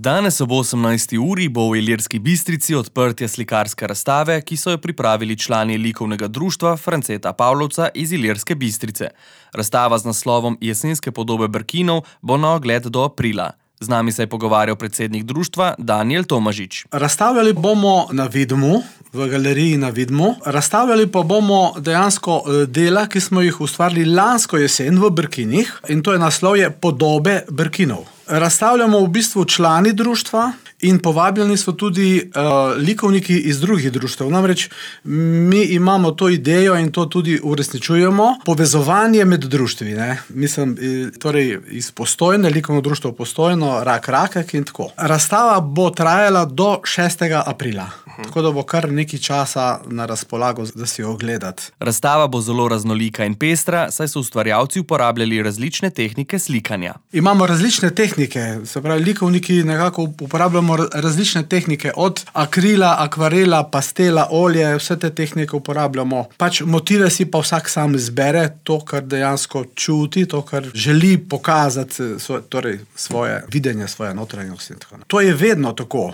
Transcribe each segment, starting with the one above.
Danes ob 18. uri bo v Ilirski Bistrici odprtje slikarske razstave, ki so jo pripravili člani likovnega društva Franceta Pavlovca iz Ilirske Bistrice. Razstava z naslovom Jesenske podobe Brkinov bo na ogled do aprila. Z nami se je pogovarjal predsednik društva Danijel Tomažič. Razstavljali bomo na Vidmu, v galeriji na Vidmu. Razstavljali pa bomo dejansko dela, ki smo jih ustvarili lansko jesen v Brkinih, in to je naslovje Podobe Brkinov. Razstavljamo v bistvu člani društva in povabljeni so tudi likovniki iz drugih društev. Namreč mi imamo to idejo in to tudi uresničujemo. Povezovanje med društvi, ne? Mislim, torej iz Postojne, likovno društvo Postojno, Rak in tako. Razstava bo trajala do 6. aprila. Tako da bo kar nekaj časa na razpolago, da si jo ogledati. Razstava bo zelo raznolika in pestra, saj so ustvarjalci uporabljali različne tehnike slikanja. Imamo različne tehnike, se pravi, likovniki nekako uporabljamo različne tehnike, od akrila, akvarela, pastela, olje, vse te tehnike uporabljamo. Pač motive si pa vsak sam izbere, to, kar dejansko čuti, to, kar želi pokazati, torej svoje videnje, svoje notranjosti in tako naprej. To je vedno tako,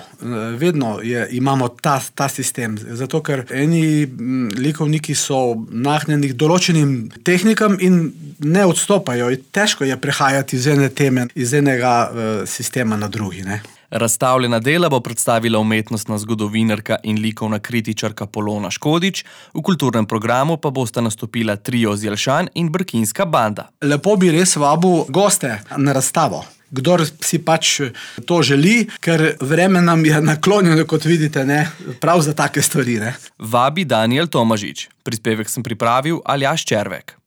vedno imamo ta sistem, zato ker eni likovniki so nagnjeni določenim tehnikam in ne odstopajo. Težko je prehajati iz ene teme, iz enega sistema na drugi, ne? Razstavljena dela bo predstavila umetnostna zgodovinarka in likovna kritičarka Polona Škodič, v kulturnem programu pa bosta nastopila trio z Jelšan in Brkinska banda. Lepo bi res vabil goste na razstavo. Kdor si pač to želi, ker vreme nam je naklonjeno, kot vidite, ne, prav za take stvari, ne. Vabi Danijel Tomažič. Prispevek sem pripravil Aljaž Červek.